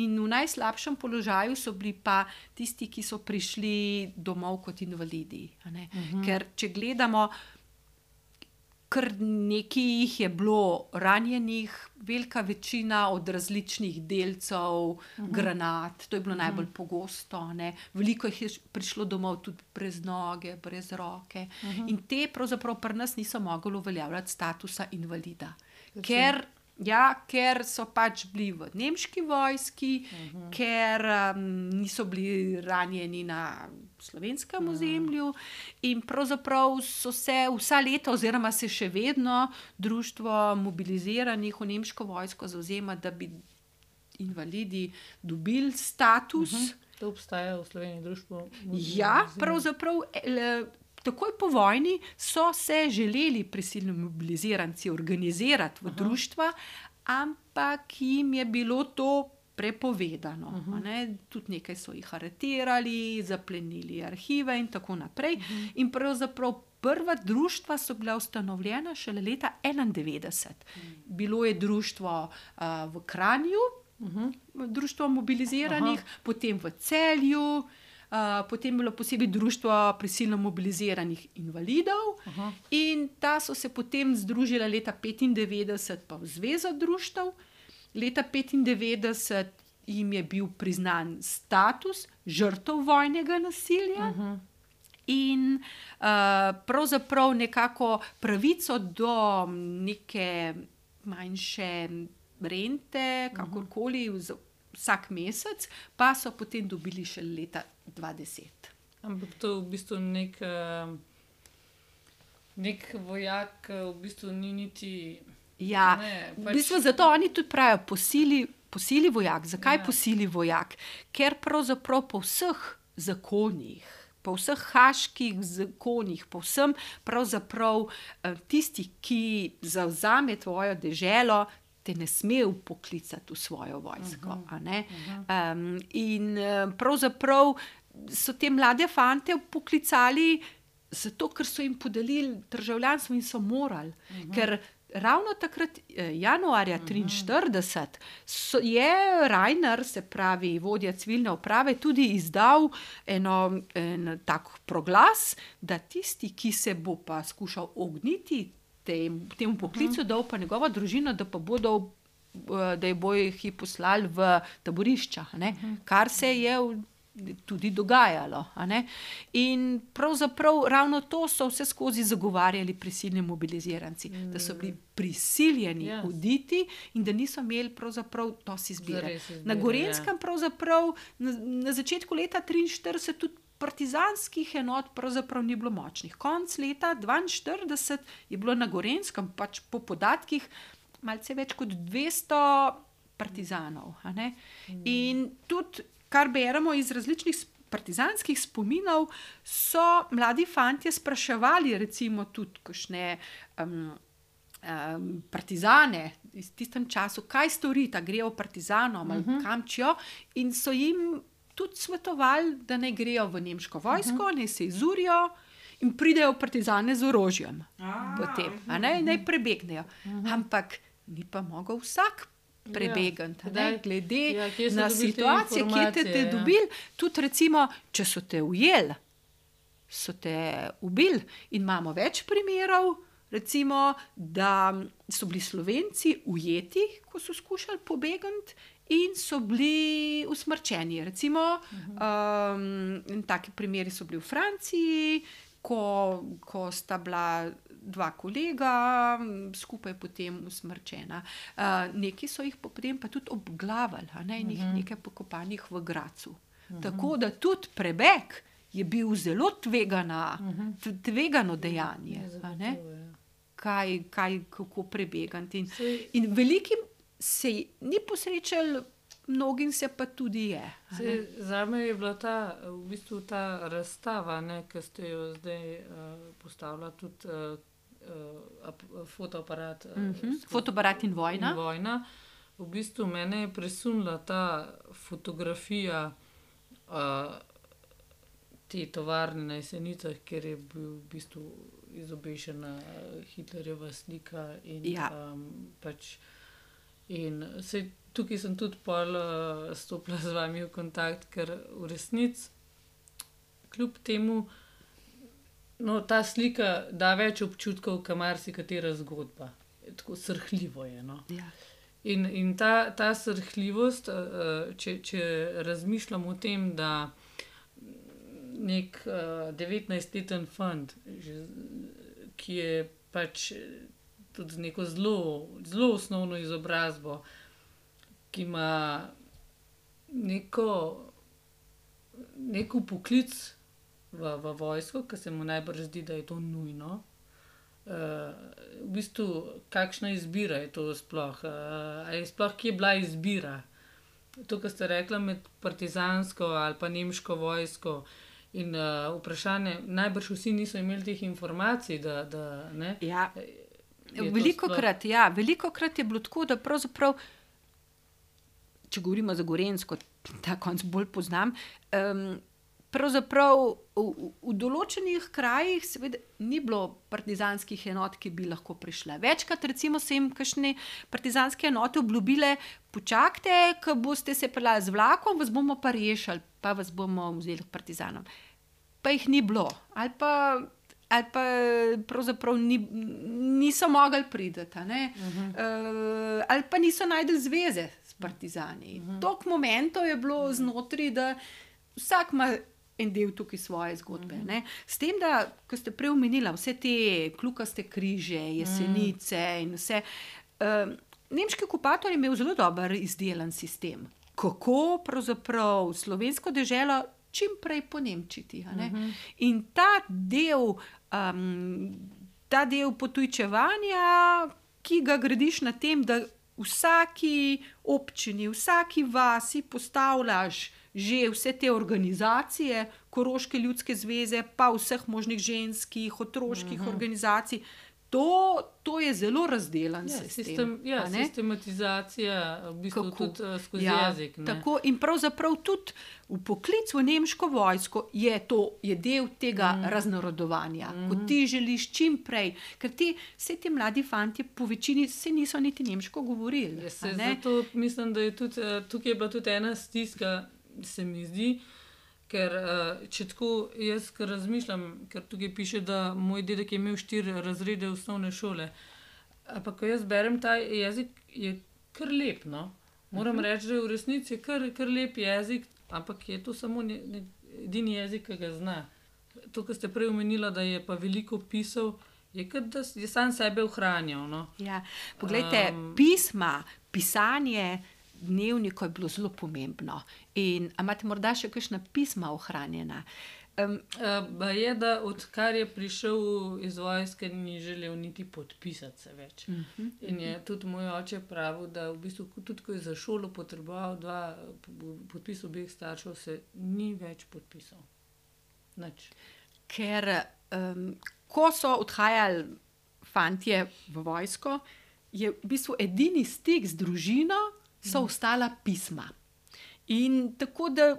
In v najslabšem položaju so bili pa tisti, ki so prišli domov kot invalidi. A ne. Ker če gledamo, kar nekaj jih je bilo ranjenih, velika večina od različnih delcev, uh-huh. granat, to je bilo uh-huh. najbolj pogosto. Ne? Veliko jih je prišlo domov tudi brez noge, brez roke. Uh-huh. In te pravzaprav pri nas niso mogli uveljavljati statusa invalida. Ker, ja, ker so pač bili v nemški vojski, uh-huh. ker um, niso bili ranjeni na slovenskem ozemlju in pravzaprav so se vsa leta oziroma se še vedno društvo mobiliziranih v nemško vojsko zavzema, da bi invalidi dobili status. Uh-huh. To obstaja v Sloveniji društvo. Ja, pravzaprav le, takoj po vojni so se želeli prisilno mobiliziranci organizirati v Aha. društva, ampak jim je bilo to prepovedano. Uh -huh. ne? Tudi nekaj so jih aretirali, zaplenili arhive in tako naprej. Uh -huh. In pravzaprav prva društva so bila ustanovljena šele leta enaindevetdeset. Uh -huh. Bilo je društvo uh, v Kranju, uh -huh. društvo mobiliziranih, uh -huh. potem v Celju, uh, potem je bilo posebej društvo prisilno mobiliziranih invalidov. Uh -huh. In ta so se potem združila leta petindevetdeset pa v Zvezo društev. Leta petindevetdeset jim je bil priznan status žrtev vojnega nasilja. Uh -huh. In uh, pravzaprav nekako pravico do neke manjše rente, kakorkoli, uh-huh. vsak mesec, pa so potem dobili še leta dva tisoč deset. Ampak to je v bistvu nek, nek vojak, v bistvu ni niti... Ja, ne, pač... v bistvu zato oni tudi pravijo posili, posili vojak. Zakaj ja. posili vojak? Ker pravzaprav po vseh zakonih, po vseh haških zakonih, po vsem pravzaprav tisti, ki zavzame tvojo deželo, te ne sme vpoklicati v svojo vojsko. Uh-huh. A ne? Uh-huh. um, in pravzaprav so te mlade fante vpoklicali zato, ker so jim podelili državljanstvo in so morali. Uh-huh. Ker ravno takrat, januarja triinštirideset, so, je Reiner, se pravi vodja civilne uprave, tudi izdal eno, en tak proglas, da tisti, ki se bo pa skušal ogniti tem, temu poklicu, uh-huh. da bo pa njegova družina, da pa bodo, da je bojo jih poslali v taborišča, ne? Uh-huh. Kar se je tudi dogajalo. A ne? In pravzaprav ravno to so vse skozi zagovarjali prisilni mobiliziranci, mm. da so bili prisiljeni yes. uditi in da niso imeli pravzaprav dosti izbire. izbire. Na Gorenjskem pravzaprav na, na začetku leta triinštirideset tudi partizanskih enot pravzaprav ni bilo močnih. Konc leta dvainštirideset je bilo na Gorenjskem, pač po podatkih, malce več kot dvesto partizanov. A ne? Mm. In tudi kar beremo iz različnih partizanskih spominov, so mladi fantje spraševali recimo tudi kakšne um, um, partizane iz tistem času, kaj storita, grejo partizanom ali uh-huh. kam čijo, in so jim tudi svetovali, da ne grejo v nemško vojsko, uh-huh. ne se izurijo in pridejo partizane z orožjem. Ah, potem, a ne, uh-huh. naj prebegnejo. Uh-huh. Ampak ni pa mogel vsak prebegant, ja, glede ja, na situacijo, kje te, te ja. dobili. Tudi recimo, če so te ujeli, so te ubili, in imamo več primerov, recimo, da so bili Slovenci ujeti, ko so skušali pobegant, in so bili usmrčeni. Recimo, uh-huh. um, taki primeri so bili v Franciji, ko, ko sta bila dva kolega, skupaj potem usmrčena. Uh, neki so jih potem pa tudi obglavili, a ne, uh-huh. nekaj pokopanih v Gracu. Uh-huh. Tako da tudi prebeg je bil zelo tvegana, uh-huh. tvegano dejanje. A ne? Kaj, kaj, kako prebegant. In, in velikim se ni posrečal, mnogim se pa tudi je. Zame je bila ta, v bistvu ta razstava, ne, ki ste jo zdaj uh, postavila tudi uh, uh, fotoaparat. Uh, uh-huh. Fotoaparat in vojna. In vojna. V bistvu mene je presunila ta fotografija uh, te tovarne na Jesenicah, kjer je bil v bistvu izobešena Hitlerjeva slika in ja. um, pač in se, tukaj sem tudi pol uh, stopila z vami v kontakt, ker v resnici kljub temu no, ta slika da več občutkov, kot marsikatera zgodba. Tako srhljivo je. No? Ja. In, in ta, ta srhljivost, uh, če, če razmišljam o tem, da nek uh, devetnajstleten fant, že, ki je pač tudi z neko zelo, zelo osnovno izobrazbo, ki ima neko, neko poklic v, v vojsko, ki se mu najbrž zdi, da je to nujno. Uh, v bistvu, kakšna izbira je to sploh? Uh, ali sploh kje je bila izbira? To, kar ste rekla med partizansko ali pa nemško vojsko. In uh, vprašanje, najbrž vsi niso imeli teh informacij, da, da ne? Ja. Veliko krat, ja, veliko krat je bilo tako, da pravzaprav če govorimo za Gorenjsko, ta konc bolj poznam, um, pravzaprav v, v določenih krajih seveda ni bilo partizanskih enot, ki bi lahko prišle. Večkrat recimo se jim kakšne partizanske enote obljubile, počakajte, ko boste se peljali z vlakom, vas bomo pa rešili, pa vas bomo vzeli k partizanom. Pa jih ni bilo. Ali pa, ali pa pravzaprav ni, niso mogli priti. Uh-huh. Uh, ali pa niso najdeli zveze s partizani. Uh-huh. Toliko momentov je bilo znotraj, da vsak ima en del tukaj svoje zgodbe. Uh-huh. Ne? S tem, da, ko ste prej omenila, vse te kljukaste križe, jesenice uh-huh. in vse, uh, nemški okupator je imel zelo dober izdelan sistem. Kako pravzaprav slovensko deželo čim prej ponemčiti. Uh-huh. In ta del, um, ta del potujčevanja, ki ga gradiš na tem, da vsaki občini, vsaki vasi postavljaš že vse te organizacije, Koroške ljudske zveze, pa vseh možnih ženskih, otroških uh-huh. organizacij, to, to je zelo razdelan ja, sistem. sistem ja, sistematizacija, v bistvu Kako? tudi uh, skozi ja, jezik. Ne? Tako, in pravzaprav tudi v poklic v nemško vojsko je to je del tega mm. raznorodovanja, mm. ko ti želiš čim prej, ker ti, vse ti mladi fantje po večini se niso niti nemško govorili. Ja, se, zato mislim, da je tudi, tukaj je bila tudi ena stiska, se mi zdi, ker če tako jaz razmišljam, ker tukaj piše, da moj dedek je imel štiri razrede osnovne šole, ampak ko jaz berem ta jezik, je kar lep, no. Moram uh-huh. reči, da v resnici je kar, kar lep jezik, ampak je to samo ne, ne, edini jezik, ki ga zna. To, kar ste prej omenila, da je pa veliko pisal, je kot da je sam sebe ohranjal, no. Ja, poglejte, um, pisma, pisanje dnevnikov je bilo zelo pomembno. In a imate morda še kakšna pisma ohranjena? Um, uh, je, da odkar je prišel iz vojske, ni želel niti podpisati se več. Uh-huh. In je tudi moj oče pravil, da v bistvu tudi, ko je za šolo potreboval dva podpis obeh staršev, se ni več podpisal. Nič. Ker um, ko so odhajali fantje v vojsko, je v bistvu edini stik z družino so ostala pisma. In tako da,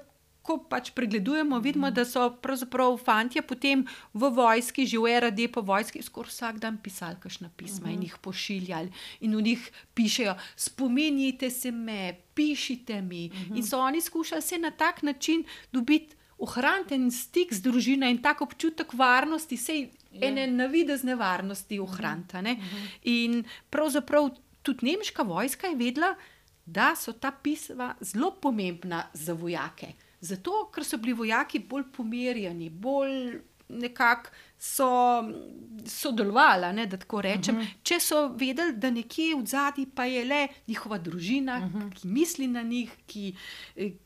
ko pač pregledujemo, vidimo, da so pravzaprav fantje potem v vojski, že v R A D po vojski, skoraj vsak dan pisali kakšna pisma uh-huh. in jih pošiljali. In v njih pišejo, spomenite se me, pišite mi. Uh-huh. In so oni skušali se na tak način dobiti, ohraniti en stik z družino in tak občutek varnosti, sej yeah. ene navidezne varnosti ohraniti. Uh-huh. In pravzaprav tudi nemška vojska je vedela, da so ta pisma zelo pomembna za vojake. Zato, ker so bili vojaki bolj pomirjeni, bolj nekako so sodelovali, ne, da tako rečem. Uh-huh. Če so vedeli, da nekje v zadnji pa je le njihova družina, uh-huh. ki misli na njih, ki,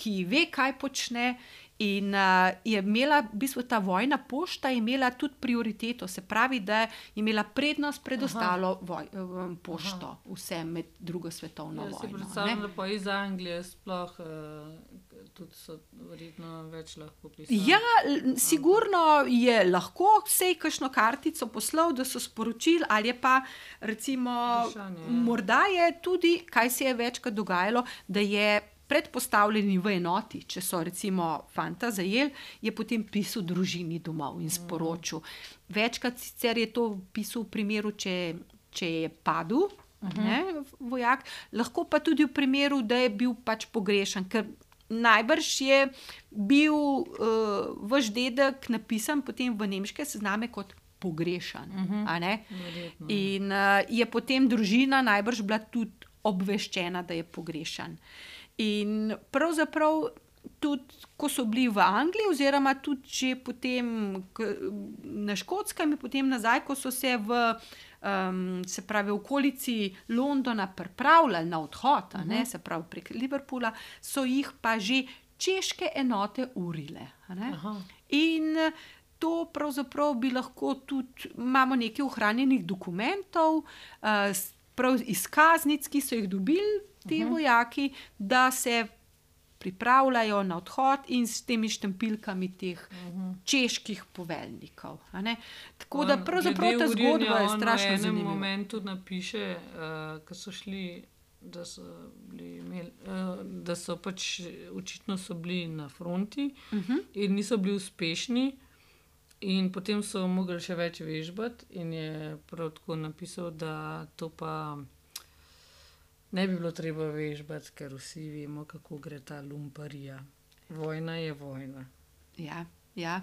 ki ve, kaj počne. In uh, je imela, v bistvu ta vojna pošta je imela tudi prioriteto, se pravi, da je imela prednost pred ostalo voj, um, pošto, Aha. vse med drugo svetovno ja, vojno. Ja, si predstavljam, da pa iz Anglije sploh uh, tudi so verjetno več lahko pisali. Ja, sigurno je lahko vsej kakšno kartico poslal, da so sporočili, ali je pa recimo, Vprašanje, ja. morda je tudi, kaj se je večkrat dogajalo, da je predpostavljeni v enoti, če so recimo fanta zajeli, je potem pisal družini domov in sporočil. Večkrat sicer je to pisal v primeru, če, če je padel uh-huh. ne, vojak, lahko pa tudi v primeru, da je bil pač pogrešan, ker najbrž je bil uh, vaš dedek napisan potem v nemške sezname kot pogrešan. Uh-huh. A ne? In uh, je potem družina najbrž bila tudi obveščena, da je pogrešan. In pravzaprav tudi, ko so bili v Angliji, oziroma tudi že potem na Škotskem in potem nazaj, ko so se v um, se pravi v okolici Londona pripravljali na odhod, uh-huh. ne, se pravi prek Liverpoola, so jih pa že češke enote urile. Uh-huh. In to pravzaprav bi lahko tudi, imamo nekaj ohranjenih dokumentov, uh, prav izkaznic, ki so jih dobili ti uh-huh. vojaki, da se pripravljajo na odhod in s temi štempilkami teh uh-huh. čeških poveljnikov. Tako on, da pravzaprav ta zgodba je strašno zanimiva. V enem momentu napiše, uh, ko so šli da so bili imeli, da so pač očitno so bili na fronti uh-huh. in niso bili uspešni. In potem so mogli še več vežbati in je prav tako napisal, da to pa ne bi bilo treba vežbati, ker vsi vemo, kako gre ta lumparija. Vojna je vojna. Ja, ja.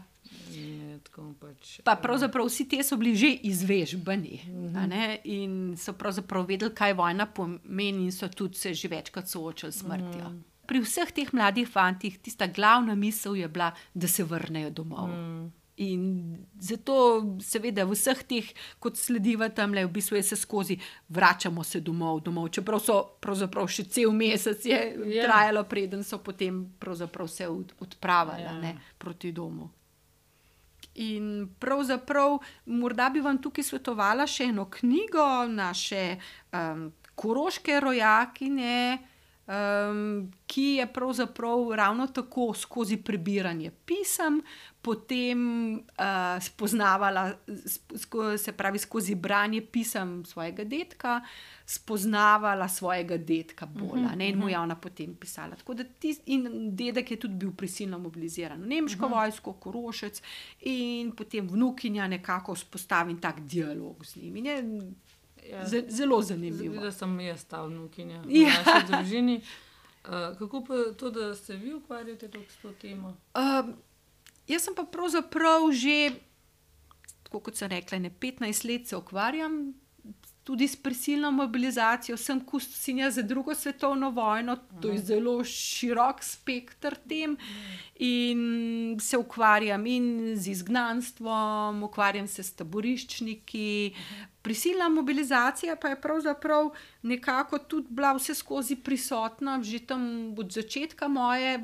Je tako pač, pa pravzaprav vsi te so bili že izvežbani uh-huh. in so pravzaprav vedeli, kaj vojna pomeni in so tudi se že večkrat soočali s smrtjo. Uh-huh. Pri vseh teh mladih fantih tista glavna misel je bila, da se vrnejo domov. Uh-huh. In zato seveda v vseh teh, kot slediva tamle, v bistvu je se skozi vračamo se domov, domov, čeprav so pravzaprav še cel mesec je yeah. trajalo, preden so potem pravzaprav se odpravili yeah. ne, proti domu. In pravzaprav morda bi vam tukaj svetovala še eno knjigo naše um, koroške rojakinje, Um, ki je pravzaprav ravno tako skozi prebiranje pisem, potem uh, spoznavala, sko, se pravi skozi branje pisem svojega dedka, spoznavala svojega dedka bolj, uh-huh, ne, in mu je ona potem pisala. Tako da tis, in dedek je tudi bil prisilno mobiliziran v nemško uh-huh. vojsko, Korošec, in potem vnukinja nekako vzpostavi tak dialog z njim. Je, Ja. Zelo zanimivo. Da sem jaz ta vnukinja v ja. naši družini. Uh, kako pa to, da se vi ukvarjate s to temo? Uh, jaz sem pa pravzaprav že, tako kot sem rekla, ne petnajst let se ukvarjam tudi s prisilno mobilizacijo. Sem kustosinja za drugo svetovno vojno, to je zelo širok spekter tem in se ukvarjam in z izgnanstvom, ukvarjam se s taboriščniki. Prisilna mobilizacija pa je pravzaprav nekako tudi bila vse skozi prisotna, že tam od začetka moje,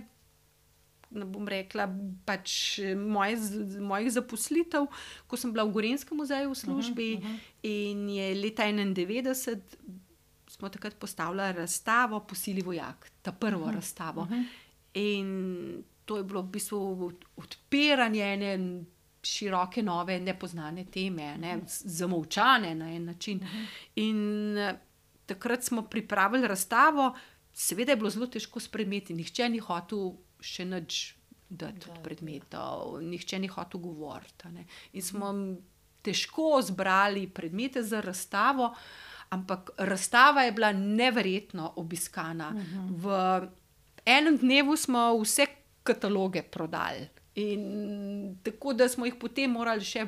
ne bom rekla, pač moje, mojih zaposlitev, ko sem bila v Gorenjskem muzeju v službi uh-huh, uh-huh. in je leta enaindevetdeset smo takrat postavljali razstavo Po sili vojak, ta prvo uh-huh, razstavo. Uh-huh. In to je bilo v bistvu odpiranje ene široke, nove, nepoznane teme, ne, zamolčane na en način. Uh-huh. In takrat smo pripravili razstavo, seveda je bilo zelo težko s predmeti, nihče ni hotel še nič dati od predmetov, nihče ni hotel govoriti. Ne. In smo težko zbrali predmete za razstavo, ampak razstava je bila neverjetno obiskana. Uh-huh. V enem dnevu smo vse kataloge prodali. In tako da smo jih potem morali še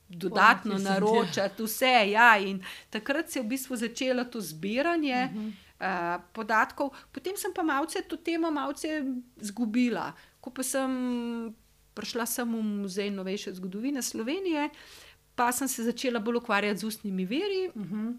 dodatno oh, naročati, vse. Ja, in takrat se je v bistvu začelo to zbiranje uh-huh. uh, podatkov. Potem sem pa malce to temo malce zgubila. Ko pa sem prišla sem v Muzej novejše zgodovine Slovenije, pa sem se začela bolj ukvarjati z ustnimi viri. Uh-huh.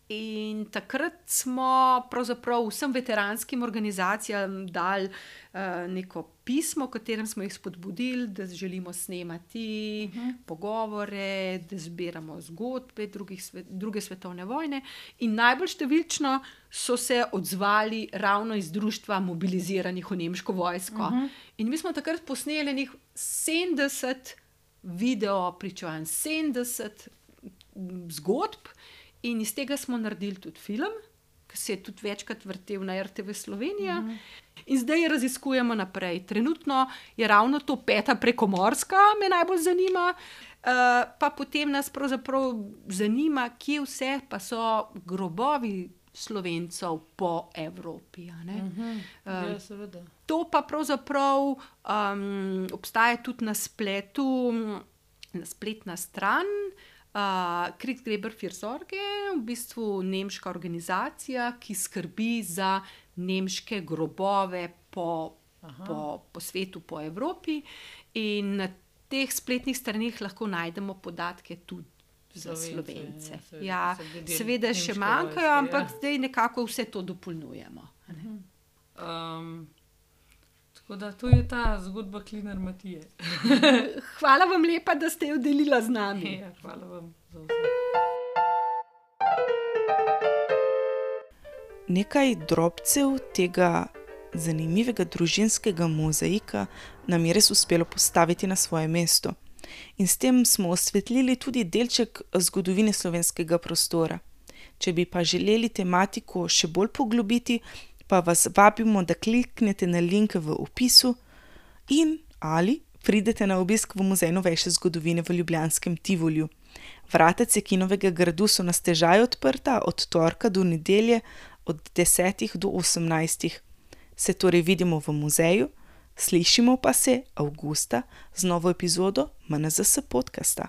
In takrat smo pravzaprav vsem veteranskim organizacijam dali uh, neko pismo, v katerem smo jih spodbudili, da želimo snemati uh-huh. pogovore, da zbiramo zgodbe drugih svet, druge svetovne vojne. In najbolj številčno so se odzvali ravno iz društva mobiliziranih v nemško vojsko. Uh-huh. In mi smo takrat posneli njih sedemdeset video pričevanj, sedemdeset zgodb. In iz tega smo naredili tudi film, ki se je tudi večkrat vrtel na R T V Slovenija. Uh-huh. In zdaj raziskujemo naprej. Trenutno je ravno to peta prekomorska, me najbolj zanima. Uh, pa potem nas pravzaprav zanima, kje vse pa so grobovi Slovencev po Evropi. Uh-huh. uh, ja, seveda. To pa pravzaprav um, obstaja tudi na spletu, na spletna stran. Uh, Krigsgräberfürsorge, v bistvu nemška organizacija, ki skrbi za nemške grobove po, po, po svetu, po Evropi. In na teh spletnih straneh lahko najdemo podatke tudi za Slovence. Slovence. Ja, seveda, ja, seveda še manjkajo, ampak ja. Zdaj nekako vse to dopolnjujemo. Um, tako da to je ta zgodba Klinar Matije. Hvala vam lepa, da ste jo delila z nami. Ja, hvala vam za vse. Nekaj drobcev tega zanimivega družinskega mozaika nam je res uspelo postaviti na svoje mesto. In s tem smo osvetlili tudi delček zgodovine slovenskega prostora. Če bi pa želeli tematiko še bolj poglobiti, pa vas vabimo, da kliknete na link v opisu in ali pridete na obisk v Muzej novejše zgodovine v ljubljanskem Tivoliju. Vrata Cekinovega gradu so na stežaj odprta od torka do nedelje od desetih do osemnajstih. Se torej vidimo v muzeju, slišimo pa se avgusta z novo epizodo M N Z S podcasta.